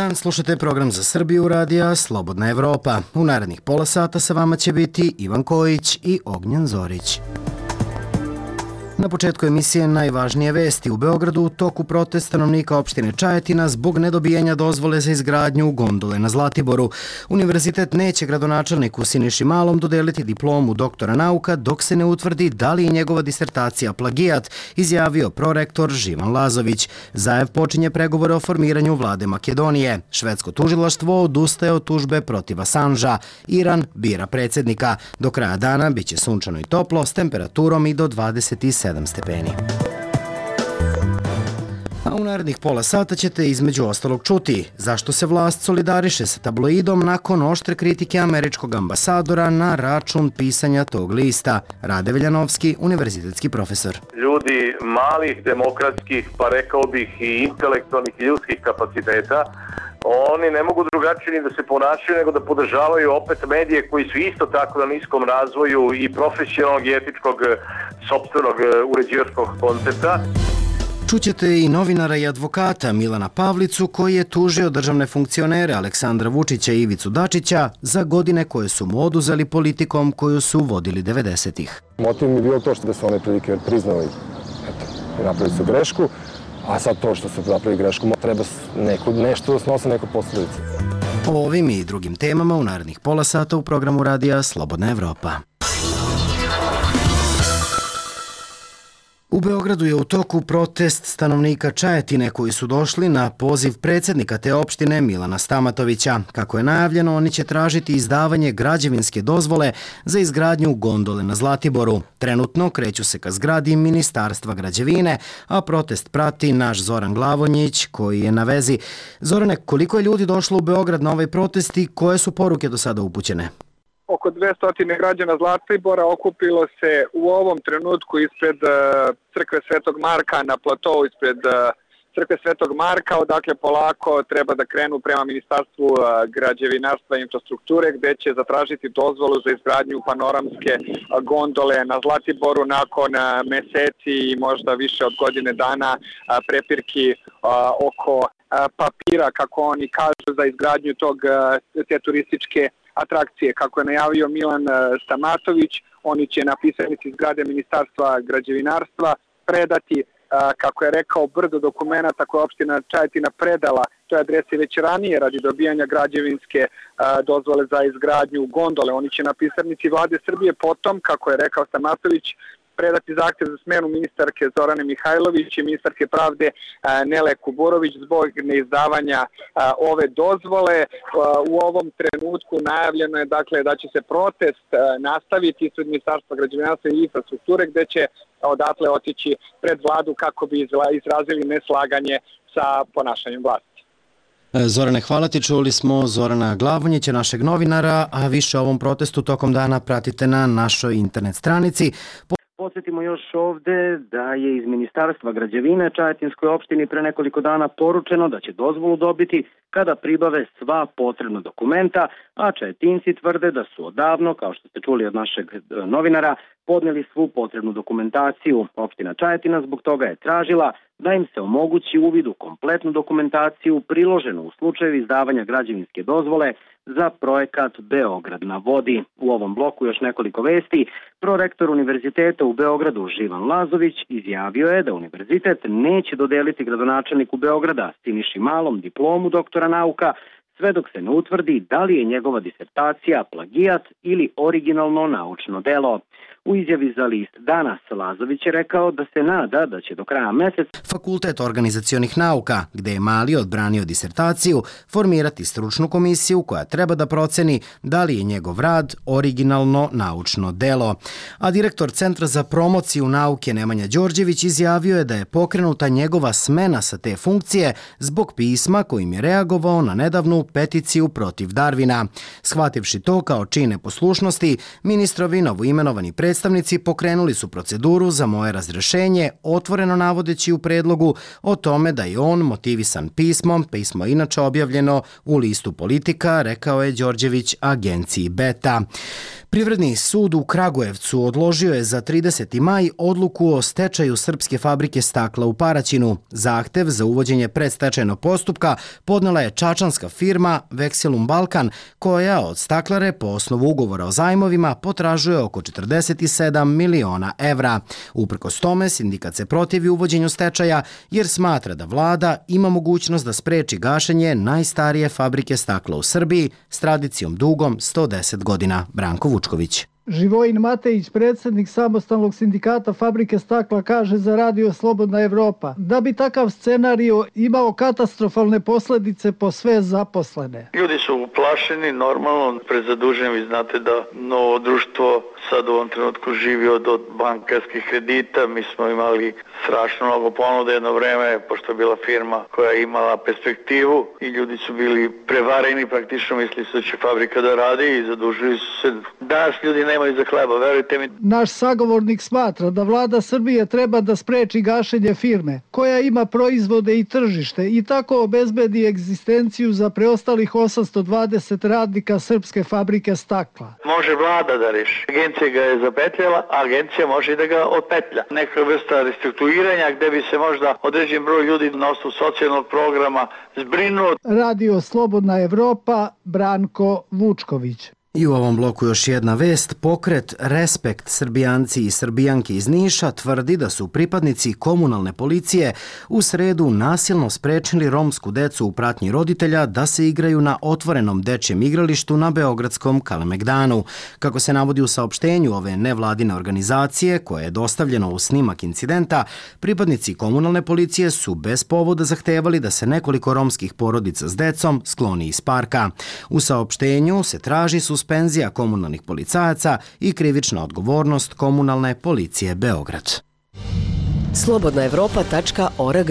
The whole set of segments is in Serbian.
dan, slušate program za Srbiju radija Slobodna Evropa. U narednih pola sata sa vama će biti Ivan Kojić i Ognjen Zorić. Na početku emisije najvažnije vesti. U Beogradu u toku protest stanovnika opštine Čajetina zbog nedobijanja dozvole za izgradnju gondole na Zlatiboru. Univerzitet neće gradonačelniku Siniši Malom dodeliti diplomu doktora nauka dok se ne utvrdi da li je njegova disertacija plagijat, izjavio prorektor Živan Lazović. Zajev počinje pregovore o formiranju vlade Makedonije. Švedsko tužilaštvo odustaje od tužbe protiv Assanža. Iran bira predsjednika. Do kraja dana biće sunčano i toplo s temperaturom i do 27 stepeni. A u narednih pola sata ćete između ostalog čuti zašto se vlast solidariše sa tabloidom nakon oštre kritike američkog ambasadora na račun pisanja tog lista. Rade Veljanovski, univerzitetski profesor. Ljudi malih demokratskih, pa rekao bih i intelektualnih i ljudskih kapaciteta, oni ne mogu drugačije ni da se ponašaju nego da podržavaju opet medije koji su isto tako na niskom razvoju i profesionalnog i etičkog sopstvenog uređivačkog koncepta. Čućete i novinara i advokata Milana Pavlicu koji je tužio državne funkcionere Aleksandra Vučića i Ivicu Dačića za godine koje su mu oduzeli politikom koju su vodili 90-ih. Motiv mi je bio to što da su one prilike priznali, napravili su grešku, a sad to što su napravili grešku treba nešto da snose neku posljedicu. O ovim i drugim temama u narednih pola sata u programu radija Slobodna Evropa. U Beogradu je u toku protest stanovnika Čajetine koji su došli na poziv predsjednika te opštine Milana Stamatovića. Kako je najavljeno, oni će tražiti izdavanje građevinske dozvole za izgradnju gondole na Zlatiboru. Trenutno kreću se ka zgradi Ministarstva građevine, a protest prati naš Zoran Glavonjić koji je na vezi. Zorane, koliko je ljudi došlo u Beograd na ovaj protest i koje su poruke do sada upućene? Oko 200 građana Zlatibora okupilo se u ovom trenutku ispred crkve Svetog Marka na platovu ispred crkve Svetog Marka, odakle polako treba da krenu prema Ministarstvu građevinarstva i infrastrukture gde će zatražiti dozvolu za izgradnju panoramske gondole na Zlatiboru nakon meseci i možda više od godine dana prepirki oko papira, kako oni kažu, za izgradnju te turističke atrakcije. Kako je najavio Milan Stamatović, oni će na pisarnici zgrade Ministarstva građevinarstva predati, kako je rekao, brdo dokumenata koje opština Čajetina predala toj adresi već ranije radi dobijanja građevinske dozvole za izgradnju gondole. Oni će na pisarnici vlade Srbije potom, kako je rekao Stamatović, predati zahtjev za smenu ministarke Zorane Mihajlović i ministarke pravde Nele Kuburović zbog neizdavanja ove dozvole. U ovom trenutku najavljeno je da će se protest nastaviti ispred Ministarstva građevinarstva i infrastrukture gde će odatle otići pred vladu kako bi izrazili neslaganje sa ponašanjem vlasti. Zorane, hvala ti. Čuli smo Zorana Glavonjića, našeg novinara, a više o ovom protestu tokom dana pratite na našoj internet stranici. Podsjetimo još ovde da je iz Ministarstva građevine Čajetinskoj opštini pre nekoliko dana poručeno da će dozvolu dobiti kada pribave sva potrebna dokumenta, a Čajetinci tvrde da su odavno, kao što ste čuli od našeg novinara, podneli svu potrebnu dokumentaciju. Opština Čajetina zbog toga je tražila da im se omogući uvid u kompletnu dokumentaciju priloženu u slučaju izdavanja građevinske dozvole za projekat Beograd na vodi. U ovom bloku još nekoliko vesti. Prorektor Univerziteta u Beogradu Živan Lazović izjavio je da univerzitet neće dodeliti gradonačelniku Beograda Siniši Malom diplomu doktora nauka sve dok se ne utvrdi da li je njegova disertacija plagijat ili originalno naučno delo. U izjavi za list Danas Lazović je rekao da se nada da će do kraja meseca Fakultet organizacionih nauka, gde je Mali odbranio disertaciju, formirati stručnu komisiju koja treba da proceni da li je njegov rad originalno naučno delo. A direktor Centra za promociju nauke Nemanja Đorđević izjavio je da je pokrenuta njegova smena sa te funkcije zbog pisma kojim je reagovao na nedavnu peticiju protiv Darvina. Shvativši to kao čin neposlušnosti, ministrovi novoimenovani predstavnici pokrenuli su proceduru za moje razrešenje, otvoreno navodeći u predlogu o tome da je on motivisan pismom, pismo je inače objavljeno u listu Politika, rekao je Đorđević agenciji Beta. Privredni sud u Kragujevcu odložio je za 30. maj odluku o stečaju srpske fabrike stakla u Paraćinu. Zahtev za uvođenje predstečajnog postupka podnela je čačanska firma Vexelum Balkan, koja od staklare po osnovu ugovora o zajmovima potražuje oko 47 miliona evra. Uprkos tome, sindikat se protivi uvođenju stečaja jer smatra da vlada ima mogućnost da spreči gašenje najstarije fabrike stakla u Srbiji s tradicijom dugom 110 godina. Branko Vučković. Živojin Matejić, predsjednik samostalnog sindikata fabrike stakla, kaže za Radio Slobodna Evropa da bi takav scenario imao katastrofalne posljedice po sve zaposlene. Ljudi su uplašeni, normalno, prezaduženi. Vi znate da novo društvo sad u ovom trenutku živi od bankarskih kredita. Mi smo imali strašno mnogo ponude jedno vreme, pošto je bila firma koja je imala perspektivu i ljudi su bili prevareni, praktično misli da će fabrika da radi i zadužili su se. Danas ljudi nemaju za hleba, verujte mi. Naš sagovornik smatra da vlada Srbije treba da spreči gašenje firme, koja ima proizvode i tržište i tako obezbedi egzistenciju za preostalih 820 radnika srpske fabrike stakla. Može vlada da reši. Agencija ga je zapetljala, a agencija može i da ga otpetlja. Neka vrsta restrukturiranja gde bi se možda određen broj ljudi na osnovu socijalnog programa zbrinuo. Radio Slobodna Evropa, Branko Vučković. I u ovom bloku još jedna vest. Pokret Respekt Srbijanci i Srbijanke iz Niša tvrdi da su pripadnici komunalne policije u sredu nasilno sprečili romsku decu u pratnji roditelja da se igraju na otvorenom dečjem igralištu na beogradskom Kalemegdanu. Kako se navodi u saopštenju ove nevladine organizacije, koje je dostavljeno u snimak incidenta, pripadnici komunalne policije su bez povoda zahtevali da se nekoliko romskih porodica s decom skloni iz parka. U saopštenju se traži suspenzija komunalnih policajaca i krivična odgovornost komunalne policije Beograd. slobodnaevropa.org.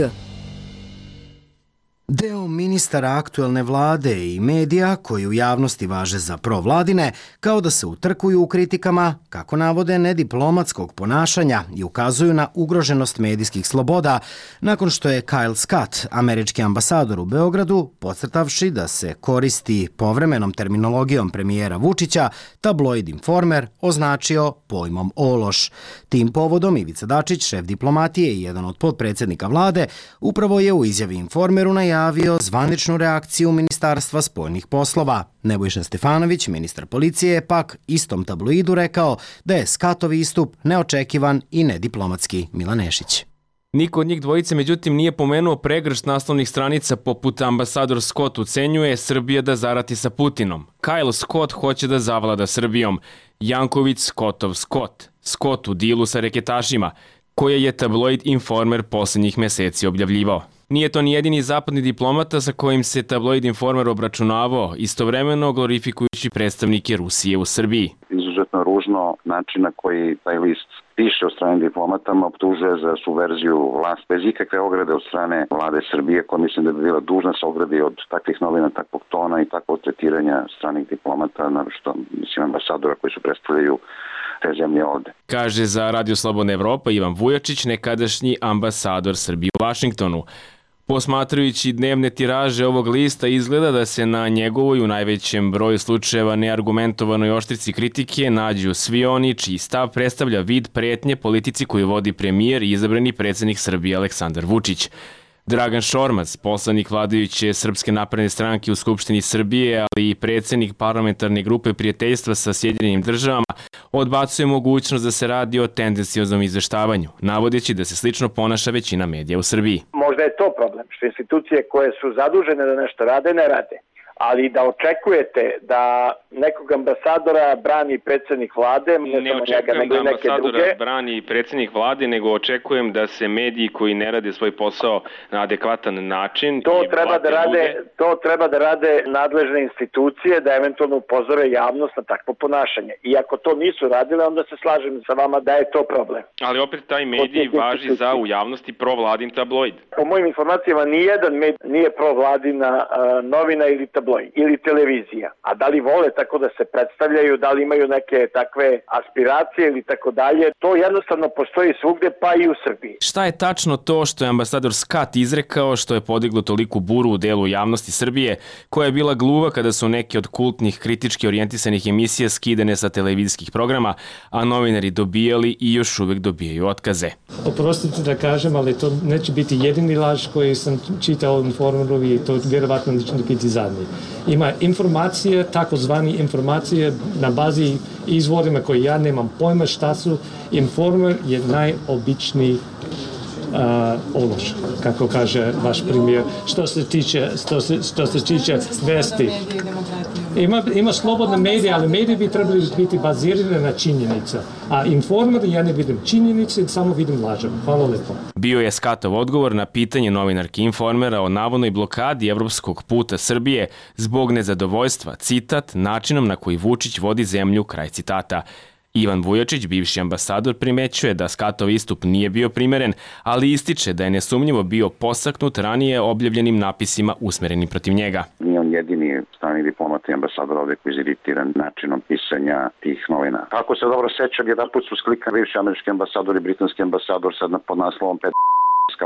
Deo ministara aktuelne vlade i medija, koji u javnosti važe za provladine, kao da se utrkuju u kritikama, kako navode, nediplomatskog ponašanja i ukazuju na ugroženost medijskih sloboda, nakon što je Kyle Scott, američki ambasador u Beogradu, podcrtavši da se koristi povremenom terminologijom premijera Vučića, tabloid Informer označio pojmom ološ. Tim povodom Ivica Dačić, šef diplomatije i jedan od potpredsjednika vlade, upravo je u izjavi Informeru najavio zvaničnu reakciju Ministarstva spoljnih poslova. Nebojša Stefanović, ministar policije, je pak istom tabloidu rekao da je Scottov istup neočekivan i nediplomatski. Milan Nešić. Niko od njih dvojice, međutim, nije pomenuo pregršt naslovnih stranica poput ambasador Scott ucenjuje Srbija da zarati sa Putinom. Kyle Scott hoće da zavlada Srbijom. Janković Scottov Scott. Scott u dilu sa reketašima, koje je tabloid Informer posljednjih meseci objavljivao. Nije to ni jedini zapadni diplomata sa kojim se tabloid Informer obračunavao, istovremeno glorifikujući predstavnike Rusije u Srbiji. Izuzetno ružno način na koji taj list piše o strane diplomatama, optužuje za subverziju vlast bez ikakve ograde od strane vlade Srbije, koja mislim da bi bila dužna se ogradi od takvih novina, takvog tona i takvog tretiranja stranih diplomata, naročito mislim ambasadora koji su predstavljaju te zemlje ovde. Kaže za Radio Slobodna Evropa Ivan Vujačić, nekadašnji ambasador Srbije u Vašingtonu. Posmatrajući dnevne tiraže ovog lista, izgleda da se na njegovoj u najvećem broju slučajeva neargumentovanoj oštrici kritike nađu svi oni čiji stav predstavlja vid pretnje politici koju vodi premijer i izabrani predsjednik Srbije Aleksandar Vučić. Dragan Šormaz, poslanik vladajuće Srpske napredne stranke u Skupštini Srbije, ali i predsjednik parlamentarne grupe prijateljstva sa Sjedinjenim državama, odbacuje mogućnost da se radi o tendencioznom izveštavanju, navodeći da se slično ponaša većina medija u Srbiji. Možda je to problem, što institucije koje su zadužene da nešto rade, ne rade. Ali da očekujete da nekog ambasadora brani predsjednik vlade, ne očekujem da ambasadora brani predsjednik vlade, nego očekujem da se mediji koji ne rade svoj posao na adekvatan način... To treba da rade nadležne institucije, da eventualno upozore javnost na takvo ponašanje. I ako to nisu radile, onda se slažem sa vama da je to problem. Ali opet taj medij važi za u javnosti provladin tabloid. Po mojim informacijama nijedan medij nije provladina novina ili tabloid. tabloid ili televizija. A da li vole tako da se predstavljaju, da li imaju neke takve aspiracije ili tako dalje, to jednostavno postoji svugde, pa i u Srbiji. Šta je tačno to što je ambasador Scott izrekao što je podiglo toliku buru u delu javnosti Srbije, koja je bila gluva kada su neke od kultnih kritički orijentisanih emisija skidane sa televizijskih programa, a novinari dobijali i još uvek dobijaju otkaze? Oprostite da kažem, ali to neće biti jedini laž koji sam čitao u Informeru i to vjerovatno neće biti zadnji. Ima informacije, takozvani informacije na bazi izvorima koje ja nemam pojma šta su. Informer je najobičniji ološ, kako kaže vaš premijer, što se tiče vesti. Ima slobodne medije, ali medije bi trebali biti bazirane na činjenica. A Informer, ja ne vidim činjenice, samo vidim lažem. Hvala lepo. Bio je Scottov odgovor na pitanje novinarki Informera o navodnoj blokadi evropskog puta Srbije zbog nezadovoljstva, citat, načinom na koji Vučić vodi zemlju, kraj citata. Ivan Vujačić, bivši ambasador, primećuje da Scottov istup nije bio primeren, ali ističe da je nesumnjivo bio posaknut ranije objavljenim napisima usmerenim protiv njega. Nije on jedini strani diplomat i ambasador ovde koji je iziritiran načinom pisanja tih novina. Ako se dobro sećam, jedan put su sklikani bivši američki ambasador i britanski ambasador sad pod naslovom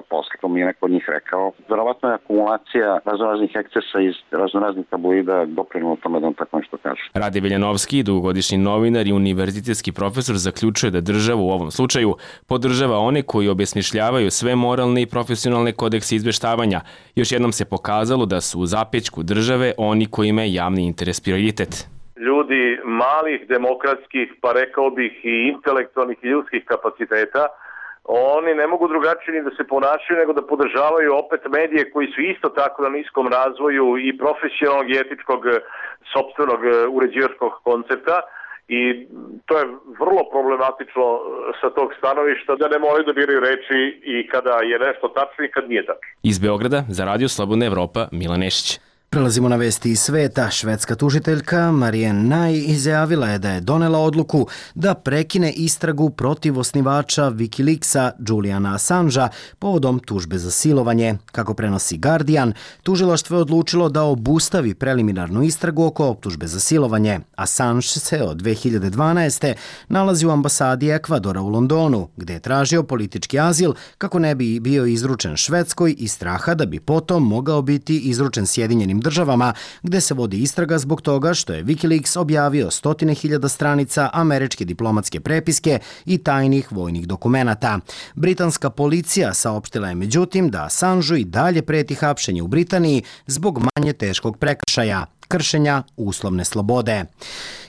posle, to mi je neko od njih rekao. Verovatno je akumulacija raznoraznih ekscesa iz raznoraznih tabloida doprinula tome da on tako nešto kaže. Rade Veljanovski, dugogodišnji novinar i univerzitetski profesor, zaključuje da država u ovom slučaju podržava one koji obesmišljavaju sve moralne i profesionalne kodekse izveštavanja. Još jednom se pokazalo da su u zapećku države oni kojima je javni interes prioritet. Ljudi malih demokratskih, pa rekao bih i intelektualnih i ljudskih kapaciteta, oni ne mogu drugačije ni da se ponašaju nego da podržavaju opet medije koji su isto tako na niskom razvoju i profesionalnog i etičkog sopstvenog uređivačkog koncepta i to je vrlo problematično sa tog stanovišta da ne moraju da biraju reči i kada je nešto tačno i kad nije tačno. Iz Beograda za Radio Slobodna Evropa, Milan Nešić. Prelazimo na vesti iz sveta. Švedska tužiteljka Marianne Naj izjavila je da je donela odluku da prekine istragu protiv osnivača Wikileaksa Juliana Assangea povodom tužbe za silovanje. Kako prenosi Guardian, tužilaštvo je odlučilo da obustavi preliminarnu istragu oko optužbe za silovanje. Assange se od 2012. nalazi u ambasadi Ekvadora u Londonu, gde je tražio politički azil kako ne bi bio izručen Švedskoj iz straha da bi potom mogao biti izručen Sjedinjenim državama, gde se vodi istraga zbog toga što je Wikileaks objavio 100.000 stranica američke diplomatske prepiske i tajnih vojnih dokumenata. Britanska policija saopštila je međutim da Assangeu i dalje preti hapšenje u Britaniji zbog manje teškog prekršaja, kršenja uslovne slobode.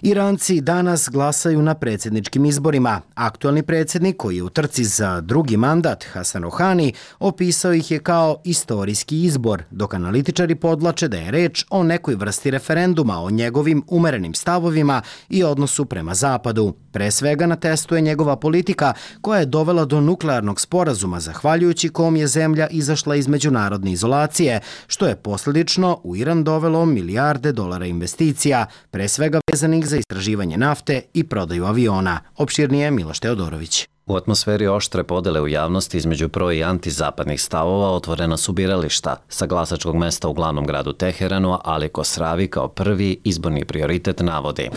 Iranci danas glasaju na predsjedničkim izborima. Aktualni predsjednik, koji je u trci za drugi mandat, Hasan Rohani, opisao ih je kao istorijski izbor, dok analitičari podvlače da je reč o nekoj vrsti referenduma o njegovim umerenim stavovima i odnosu prema Zapadu. Pre svega na testu je njegova politika koja je dovela do nuklearnog sporazuma, zahvaljujući kom je zemlja izašla iz međunarodne izolacije, što je posljedično u Iran dovelo milijarde dolara investicija, pre svega vezanih za istraživanje nafte i prodaju aviona. Opširnije Miloš Teodorović. U atmosferi oštre podele u javnosti između pro- i antizapadnih stavova otvorena su birališta. Sa glasačkog mesta u glavnom gradu Teheranu, Ali Kosravi kao prvi izborni prioritet navodi.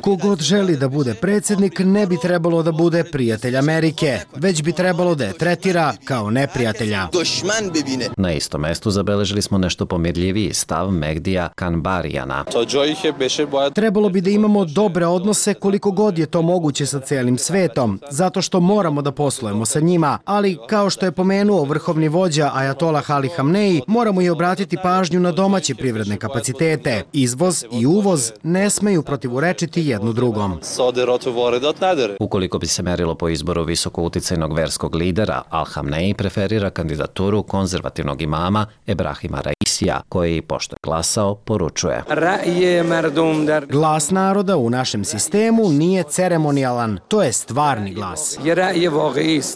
Kogod želi da bude predsjednik ne bi trebalo da bude prijatelj Amerike, već bi trebalo da je tretira kao neprijatelja. Na istom mestu zabeležili smo nešto pomirljiviji stav Mehdija Kanbarijana. Trebalo bi da imamo dobre odnose koliko god je to moguće sa cijelim svetom, zato što moramo da poslujemo sa njima, ali kao što je pomenuo vrhovni vođa Ajatolah Ali Hamneji, moramo i obratiti pažnju na domaće privredne kapacitete. Izvoz i uvoz ne smeju protivurečiti jednu drugom. Ukoliko bi se merilo po izboru visoko uticajnog verskog lidera, Al Hamneji preferira kandidaturu konzervativnog imama Ebrahima Raisija, koji, pošto je glasao, poručuje. Glas naroda u našem sistemu nije ceremonijalan, to je stvarni glas.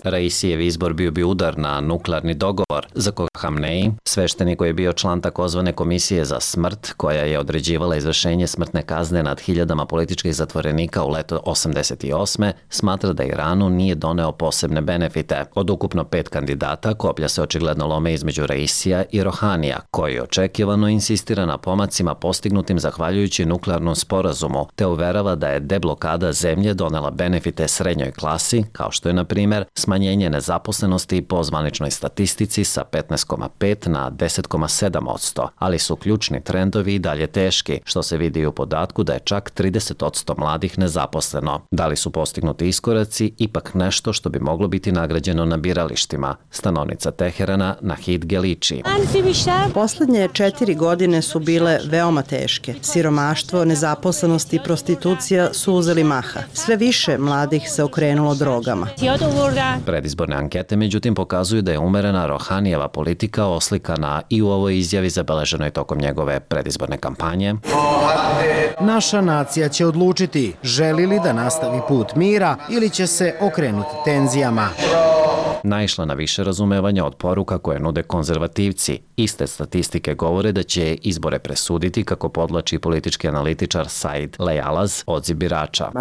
Raisijev izbor bio bi udar na nuklearni dogovor, za koga Hamneji, sveštenik koji je bio član takozvane komisije za smrt, koja je određivala izvršenje smrtne kazne nad hiljadama političkih zatvorenika u leto 88. smatra da Iranu nije doneo posebne benefite. Od ukupno 5 kandidata, koplja se očigledno lome između Raisija i Rohanija, koji očekivano insistira na pomacima postignutim zahvaljujući nuklearnom sporazumu, te uverava da je deblokada zemlje donela benefite srednjoj klasi, kao što je, na primer, smanjenje nezaposlenosti po zvaničnoj statistici sa 15,5 na 10,7%, ali su ključni trendovi i dalje teški, što se vidi u podatku da je čak 30% mladih nezaposleno. Da li su postignuti iskoraci ipak nešto što bi moglo biti nagrađeno na biralištima? Stanovnica Teherana Nahid Geliči. Poslednje 4 godine su bile veoma teške. Siromaštvo, nezaposlenost i prostitucija su uzeli maha. Sve više mladih se okrenulo drogama. Predizborne ankete, međutim, pokazuju da je umerena Rohanijeva politika oslikana i u ovoj izjavi zabeleženoj tokom njegove predizborne kampanje. Naša nacija će odlučiti želi li da nastavi put mira ili će se okrenuti tenzijama. Naišla na više razumevanja od poruka koje nude konzervativci. Iste statistike govore da će izbore presuditi, kako podlači politički analitičar Said Lejalaz, odziv birača.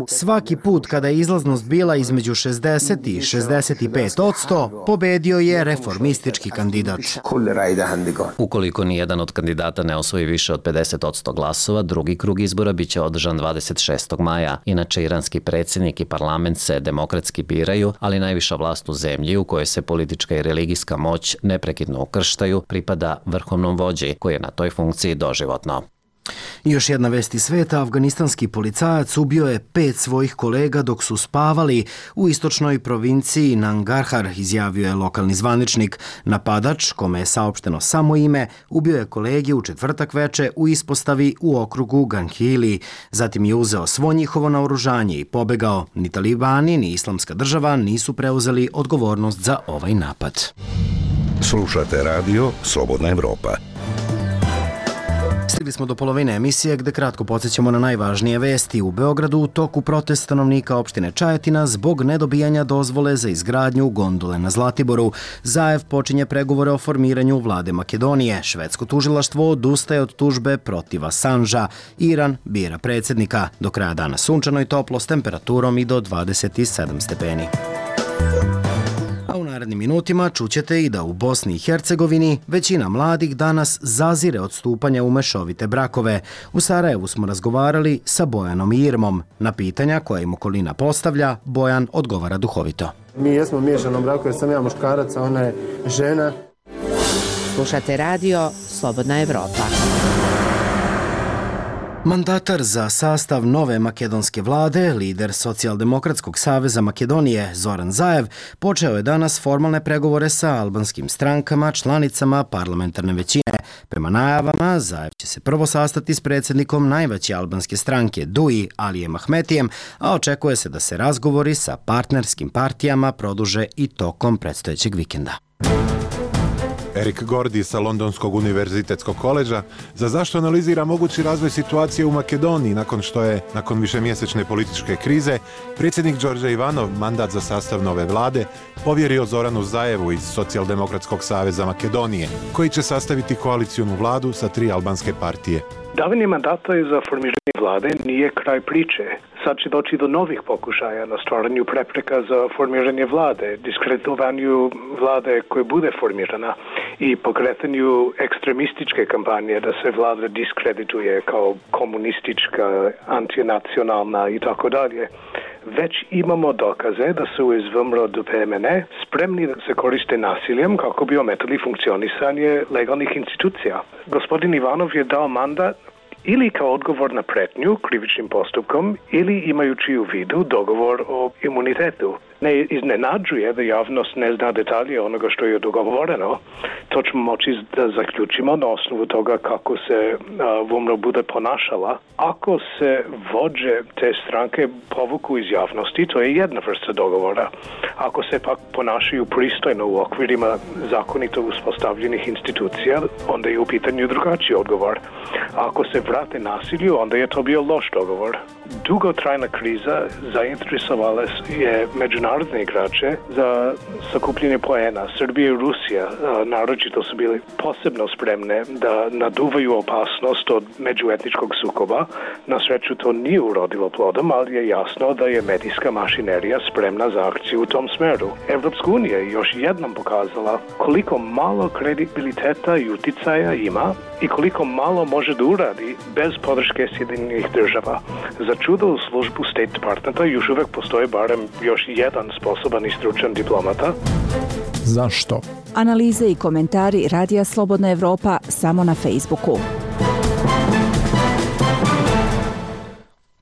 Svaki put kada je izlaznost bila između 60 i 65%, pobedio je reformistički kandidat. Ukoliko nijedan od kandidata ne osvoji više od 50% glasova, drugi krug izbora biće održan 26. maja. Inače, iranski predsjednik i parlament se demokratski biraju, ali najviša vlast u zemlji, u kojoj se politička i religijska moć neprekidno ukrštaju, pripada vrhovnom vođi, koji je na toj funkciji doživotno. I još jedna vest iz sveta, afganistanski policajac ubio je 5 svojih kolega dok su spavali u istočnoj provinciji Nangarhar, izjavio je lokalni zvaničnik. Napadač, kome je saopšteno samo ime, ubio je kolege u četvrtak veče u ispostavi u okrugu Ganghili. Zatim je uzeo svo njihovo naoružanje i pobegao. Ni talibani, ni islamska država nisu preuzeli odgovornost za ovaj napad. Slušate radio Slobodna Evropa. Stigli smo do polovine emisije gde kratko podsjećamo na najvažnije vesti. U Beogradu u toku protest stanovnika opštine Čajetina zbog nedobijanja dozvole za izgradnju gondole na Zlatiboru. Zaev počinje pregovore o formiranju vlade Makedonije. Švedsko tužilaštvo odustaje od tužbe protiv Asanža. Iran bira predsjednika. Do kraja dana sunčano i toplo s temperaturom i do 27 stepeni. A u narednim minutima čućete i da u Bosni i Hercegovini većina mladih danas zazire od stupanja u mešovite brakove. U Sarajevu smo razgovarali sa Bojanom i Irmom. Na pitanja koja im okolina postavlja, Bojan odgovara duhovito. Mi jesmo u miješanom braku jer sam ja muškarac, a ona je žena. Slušate radio Slobodna Evropa. Mandatar za sastav nove makedonske vlade, lider Socijaldemokratskog saveza Makedonije Zoran Zaev, počeo je danas formalne pregovore sa albanskim strankama, članicama parlamentarne većine. Prema najavama, Zaev će se prvo sastati s predsjednikom najveće albanske stranke Dui, Alijem Ahmetijem, a očekuje se da se razgovori sa partnerskim partijama produže i tokom predstojećeg vikenda. Erik Gordi sa Londonskog univerzitetskog koleđa za zašto analizira mogući razvoj situacije u Makedoniji nakon što je, nakon višemjesečne političke krize, predsjednik Đorđe Ivanov mandat za sastav nove vlade povjerio Zoranu Zaevu iz Socijaldemokratskog saveza Makedonije, koji će sastaviti koalicijonu vladu sa 3 albanske partije. Davanje mandata za formiranje vlade nije kraj priče. Sad će doći do novih pokušaja na stvaranju prepreka za formiranje vlade, diskreditovanju vlade koje bude formirana i pokretanju ekstremističke kampanje da se vlada diskredituje kao komunistička, antinacionalna i tako dalje. Već imamo dokaze da su iz VMRO do PMN spremni da se koriste nasiljem kako bi ometali funkcionisanje legalnih institucija. Gospodin Ivanov je dao mandat ili kao odgovor na pretnju krivičnim postupkom ili imajući u vidu dogovor o imunitetu. Ne iznenađuje da javnost ne zna detalje onoga što je dogovoreno. To ćemo moći da zaključimo na osnovu toga kako se VMRO bude ponašala. Ako se vođe te stranke povuku iz javnosti, to je jedna vrsta dogovora. Ako se pak ponašaju pristojno u okvirima zakonito uspostavljenih institucija, onda je u pitanju drugačiji odgovor. Ako se vrate nasilju, onda je to bio loš dogovor. Dugotrajna kriza zainteresovala je međunarodnu međunarodne igrače za sakupljanje poena. Srbija i Rusija naročito su bili posebno spremne da naduvaju opasnost od međuetničkog sukoba. Na sreću to nije urodilo plodom, ali je jasno da je medijska mašinerija spremna za akciju u tom smeru. Evropska unija je još jednom pokazala koliko malo kredibiliteta i uticaja ima i koliko malo može da uradi bez podrške Sjedinjenih država. Za čudo u službu State Departmenta još uvek postoji barem još jedan sposoban i stručan diplomata. Zašto? Analize i komentari Radija Slobodna Evropa samo na Facebooku.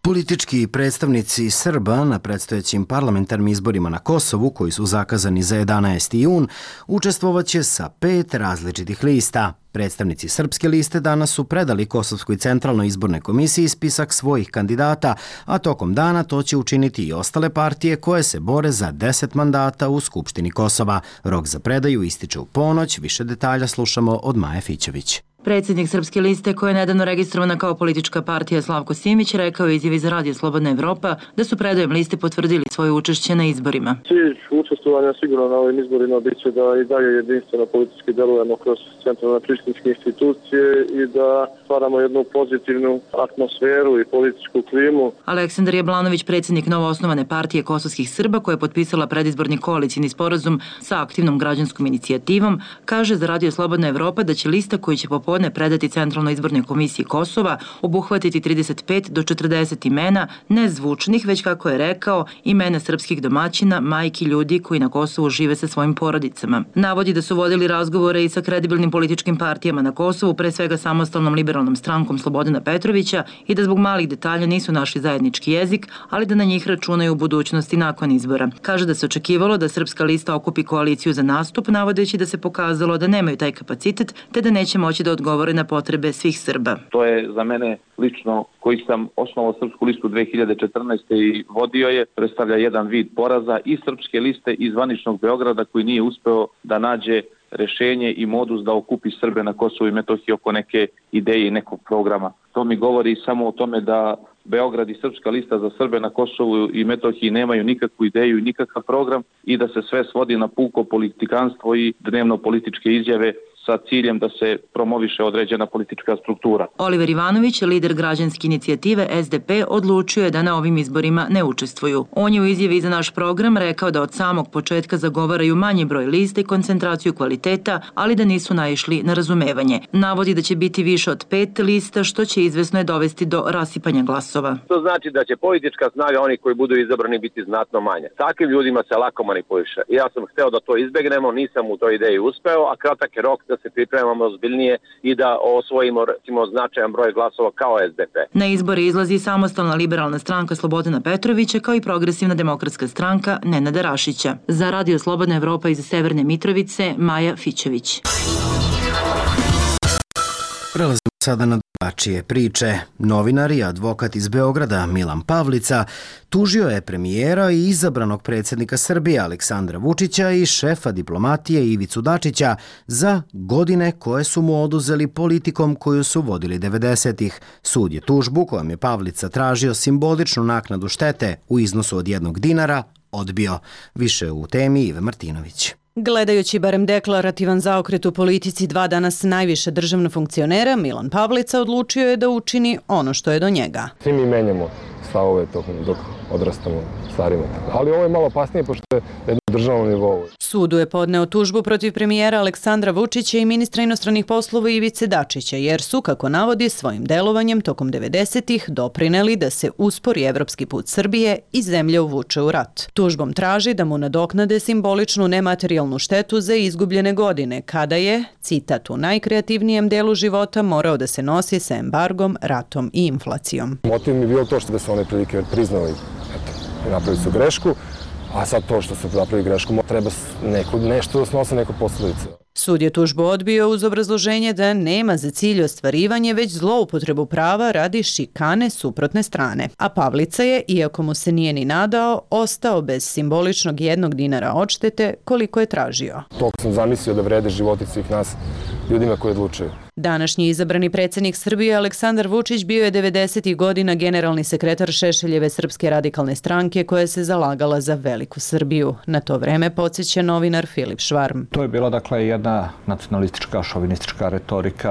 Politički predstavnici Srba na predstojećim parlamentarnim izborima na Kosovu, koji su zakazani za 11. jun, učestvovaće sa 5 različitih lista. Predstavnici Srpske liste danas su predali Kosovskoj centralnoj izbornoj komisiji spisak svojih kandidata, a tokom dana to će učiniti i ostale partije koje se bore za 10 mandata u Skupštini Kosova. Rok za predaju ističe u ponoć, više detalja slušamo od Maje Fićević. Predsjednik Srpske liste, koja je nedavno registrovana kao politička partija, Slavko Simić, rekao je izjavi za Radio Slobodna Evropa da su predajem liste potvrdili svoje učešće na izborima. Cilj učestvovanja sigurno na ovim izborima biće da i dalje jedinstveno politički delujemo kroz centralne prištinske institucije i da stvaramo jednu pozitivnu atmosferu i političku klimu. Aleksandar Jablanović, predsjednik novoosnovane partije kosovskih Srba, koja je potpisala predizborni koalicijni sporazum sa aktivnom građanskom inicijativom, kaže za Radio Slobodna Evropa da će lista koju će popodne predati Centralnoj izbornoj komisiji Kosova obuhvatiti 35 do 40 imena, ne zvučnih, već, kako je rekao, imena srpskih domaćina, majki, ljudi koji na Kosovu žive sa svojim porodicama. Navodi da su vodili razgovore i sa kredibilnim političkim partijama na Kosovu, pre svega samostalnom liberalnom strankom Slobodana Petrovića, i da zbog malih detalja nisu našli zajednički jezik, ali da na njih računaju u budućnosti nakon izbora. Kaže da se očekivalo da Srpska lista okupi koaliciju za nastup, navodeći da se pokazalo da nemaju taj kapacitet, te da neće moći da odgovore na potrebe svih Srba. To je za mene lično, koji sam osnovao Srpsku listu 2014. i vodio je, predstavlja jedan vid poraza i Srpske liste iz zvaničnog Beograda, koji nije uspeo da nađe rešenje i modus da okupi Srbe na Kosovu i Metohiji oko neke ideje i nekog programa. To mi govori samo o tome da Beograd i Srpska lista za Srbe na Kosovu i Metohiji nemaju nikakvu ideju i nikakav program i da se sve svodi na puko politikanstvo i dnevno političke izjave sa ciljem da se promoviše određena politička struktura. Oliver Ivanović, lider građanske inicijative SDP, odlučio je da na ovim izborima ne učestvuju. On je u izjavi za naš program rekao da od samog početka zagovaraju manji broj lista i koncentraciju kvaliteta, ali da nisu naišli na razumevanje. Navodi da će biti više od 5 lista, što će izvesno dovesti do rasipanja glasova. To znači da će politička snaga onih koji budu izabrani biti znatno manja. Takvim ljudima se lako manipuliše. Ja sam hteo da to izbegnemo, nisam u toj ideji uspeo, a kratak je rok da se pripremamo ozbiljnije i da osvojimo, recimo, značajan broj glasova kao SDP. Na izbore izlazi samostalna liberalna stranka Slobodana Petrovića, kao i progresivna demokratska stranka Nenada Rašića. Za Radio Slobodna Evropa iz Severne Mitrovice, Maja Fićević. Prelazimo sada na drugačije priče. Novinar i advokat iz Beograda Milan Pavlica tužio je premijera i izabranog predsjednika Srbije Aleksandra Vučića i šefa diplomatije Ivicu Dačića za godine koje su mu oduzeli politikom koju su vodili 90-ih. Sud je tužbu, kojom je Pavlica tražio simboličnu naknadu štete u iznosu od 1 dinara, odbio. Više u temi Ive Martinović. Gledajući barem deklarativan zaokret u politici 2 danas najviše državna funkcionera, Milan Pavlica odlučio je da učini ono što je do njega. Svi mi menjamo stavove dok odrastamo, starimo. Ali ovo je malo opasnije pošto je na državnom nivou. Sudu je podneo tužbu protiv premijera Aleksandra Vučića i ministra inostranih poslova Ivice Dačića, jer su, kako navodi, svojim delovanjem tokom 90-ih doprineli da se uspori evropski put Srbije i zemlja uvuče u rat. Tužbom traži da mu nadoknade simboličnu nematerijalnu štetu za izgubljene godine, kada je, citat, u najkreativnijem delu života morao da se nosi sa embargom, ratom i inflacijom. Motiv mi je bilo to što da su one prilike priznali, napravili su grešku, a sad to što su napravili grešku, treba nešto da snose neku posledicu. Sud je tužbu odbio uz obrazloženje da nema za cilj ostvarivanje već zloupotrebu prava radi šikane suprotne strane. A Pavlica je, iako mu se nije ni nadao, ostao bez simboličnog 1 dinara odštete koliko je tražio. Toliko sam zamislio da vrede životi svih nas, ljudima koji odlučuju. Današnji izabrani predsjednik Srbije Aleksandar Vučić bio je 90. godina generalni sekretar Šešeljeve Srpske radikalne stranke koja se zalagala za veliku Srbiju. Na to vreme podsjeća novinar Filip Švarm. To je bila dakle jedna nacionalistička, šovinistička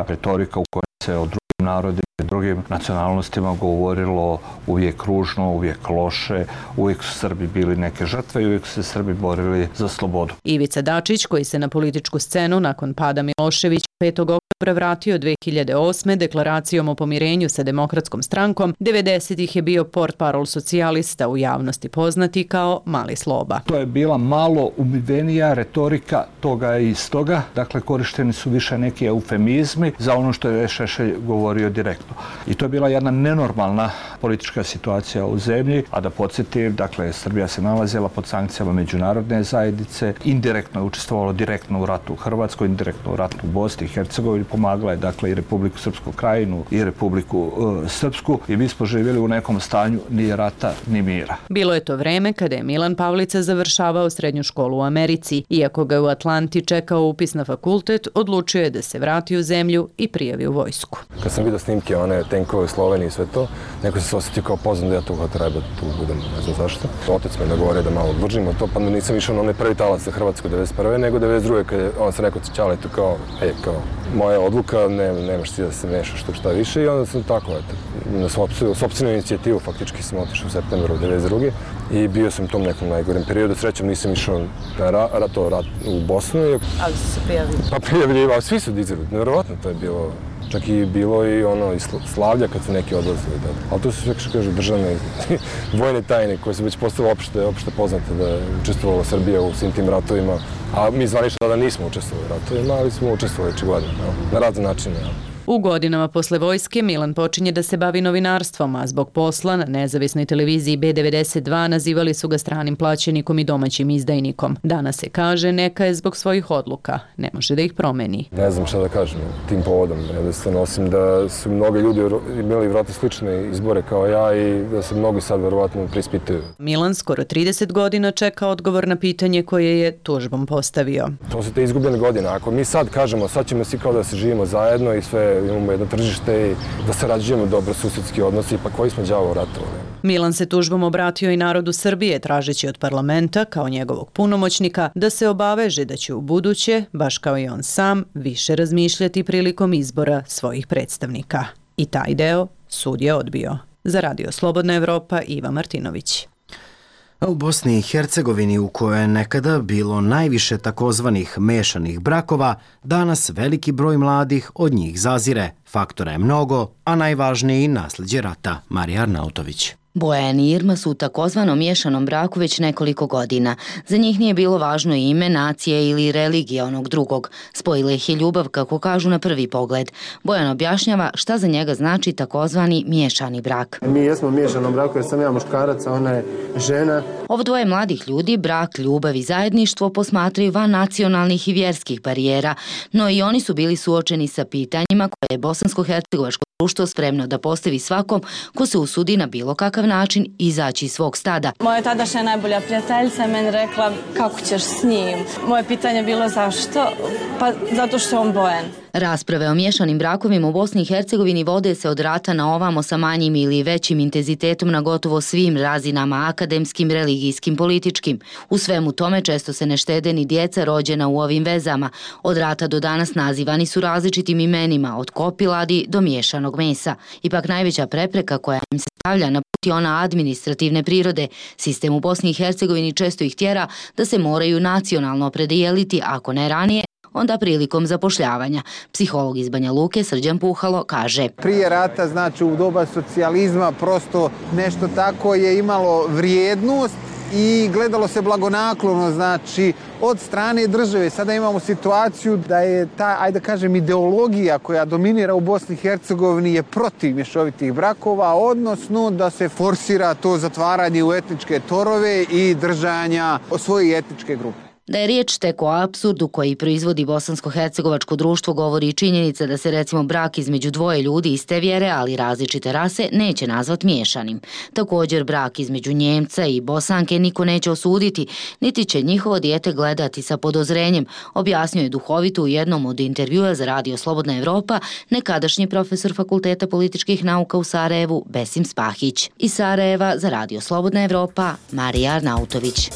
retorika u kojoj se o drugim narodima i drugim nacionalnostima govorilo uvijek ružno, uvijek loše, uvijek su Srbi bili neke žrtve i uvijek su se Srbi borili za slobodu. Ivica Dačić, koji se na političku scenu nakon pada Miloševića 5. oktobra vratio 2008. deklaracijom o pomirenju sa Demokratskom strankom, 90-ih je bio portparol socijalista, u javnosti poznati kao Mali Sloba. To je bila malo umivenija retorika toga i istoga, dakle korišteni su više neki eufemizmi za ono što je Šešelj govorio direktno. I to je bila jedna nenormalna politička situacija u zemlji, a da podsjetim, dakle Srbija se nalazila pod sankcijama međunarodne zajednice, indirektno je učestvovalo direktno u ratu u Hrvatskoj, indirektno u ratu u Bosni i Hercegovini, pomagala je dakle i Republiku Srpsku krajinu i Republiku Srpsku i mi smo živjeli u nekom stanju ni rata ni mira. Bilo je to vreme kada je Milan Pavlica završavao srednju školu u Americi. Iako ga u Atlanti čekao upis na fakultet, odlučio je da se vrati u zemlju i prijavi u vojsku. Kad sam vidio snimke, one tenkove u Sloveniji i sve to, neko se osjetio kao poznan da ja tu treba tu budem, ne znam zašto. Otec me nagovorio da malo odvržimo to, pa nisam išao na onaj prvi talac za Hrvatsku 91. nego 92. kad je on se rekao Ćale tu kao moja odluka, nemaš ti da se mešaš tu šta više i onda sam tako, na sopstvenu inicijativu faktički sam otišao u septembru 92. i bio sam u tom nekom najgorem periodu. Srećom nisam išao na rat u Bosnu. Ali su se prijavili? Pa prijavljivali, svi su dizali, nevjerovatno to je bilo. Čak i bilo i slavlja kad su neki odlazili. Ali to su sve, što kažu, državne vojne tajne koje su već postale opšte poznate da je učestvovala Srbija u svim tim ratovima. A mi zvanično tada nismo učestvovali u ratovima, ali smo učestvovali očigledno na razne načine. U godinama posle vojske Milan počinje da se bavi novinarstvom, a zbog posla na nezavisnoj televiziji B92 nazivali su ga stranim plaćenikom i domaćim izdajnikom. Danas se kaže neka je zbog svojih odluka, ne može da ih promeni. Ne znam šta da kažem tim povodom, jednostavno osim da su mnogi ljudi imali vjerojatno slične izbore kao ja i da se mnogi sad vjerovatno preispituju. Milan skoro 30 godina čeka odgovor na pitanje koje je tužbom postavio. To su te izgubljene godine. Ako mi sad kažemo, sad ćemo svi kao da se živimo zajedno i sve imamo jedno tržište i da sarađujemo dobro susedski odnosi, pa koji smo đavo ratovali. Milan se tužbom obratio i narodu Srbije, tražeći od parlamenta, kao njegovog punomoćnika, da se obaveže da će u buduće, baš kao i on sam, više razmišljati prilikom izbora svojih predstavnika. I taj deo sud je odbio. Za Radio Slobodna Evropa, Iva Martinović. A u Bosni i Hercegovini, u kojoj je nekada bilo najviše takozvanih mešanih brakova, danas veliki broj mladih od njih zazire. Faktora je mnogo, a najvažniji nasljeđe rata. Marija Arnautović. Bojan i Irma su u takozvanom miješanom braku već nekoliko godina. Za njih nije bilo važno ime, nacije ili religija onog drugog. Spojila ih je ljubav, kako kažu na prvi pogled. Bojan objašnjava šta za njega znači takozvani miješani brak. Mi jesmo u miješanom braku jer sam ja muškarac, a ona je žena. Ovo dvoje mladih ljudi brak, ljubav i zajedništvo posmatraju van nacionalnih i vjerskih barijera, no i oni su bili suočeni sa pitanjima koje je bosansko-hercegovačko društvo spremno da postavi svakom ko se usudi na bilo kakav način izaći iz svog stada. Moja tadašnja najbolja prijateljica je meni rekla kako ćeš s njim. Moje pitanje je bilo zašto? Pa zato što je on Bojan. Rasprave o miješanim brakovima u Bosni i Hercegovini vode se od rata na ovamo sa manjim ili većim intenzitetom na gotovo svim razinama, akademskim, religijskim, političkim. U svemu tome često se ne štede ni djeca rođena u ovim vezama. Od rata do danas nazivani su različitim imenima, od kopiladi do miješanog mesa. Ipak najveća prepreka koja im se stavlja na put je ona administrativne prirode. Sistem u Bosni i Hercegovini često ih tjera da se moraju nacionalno opredijeliti, ako ne ranije, onda prilikom zapošljavanja. Psiholog iz Banja Luke Srđan Puhalo kaže: Prije rata, znači u doba socijalizma, prosto nešto tako je imalo vrijednost i gledalo se blagonaklono, znači od strane države. Sada imamo situaciju da je ta, ajde da kažem, ideologija koja dominira u Bosni i Hercegovini je protiv mješovitih brakova, odnosno da se forsira to zatvaranje u etničke torove i držanja svoje etničke grupe. Da je riječ tek o apsurdu koji proizvodi bosansko-hercegovačko društvo govori i činjenica da se recimo brak između dvoje ljudi iste vjere, ali različite rase, neće nazvat miješanim. Također brak između Njemca i Bosanke niko neće osuditi, niti će njihovo dijete gledati sa podozrenjem, objasnio je duhovito u jednom od intervjua za Radio Slobodna Evropa nekadašnji profesor Fakulteta političkih nauka u Sarajevu Besim Spahić. Iz Sarajeva za Radio Slobodna Evropa Marija Arnautović.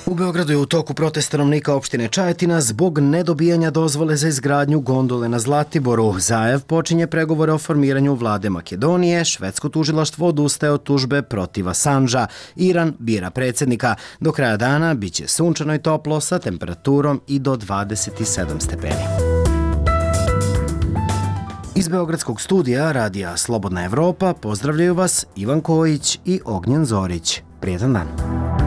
U Beogradu je u toku protest stanovnika opštine Čajetina zbog nedobijanja dozvole za izgradnju gondole na Zlatiboru. Zajev počinje pregovore o formiranju vlade Makedonije, švedsko tužilaštvo odustaje od tužbe protiv Assanža, Iran bira predsjednika. Do kraja dana biće sunčano i toplo sa temperaturom i do 27 stepeni. Iz Beogradskog studija Radija Slobodna Evropa pozdravljaju vas Ivan Kojić i Ognjen Zorić. Prijetan dan.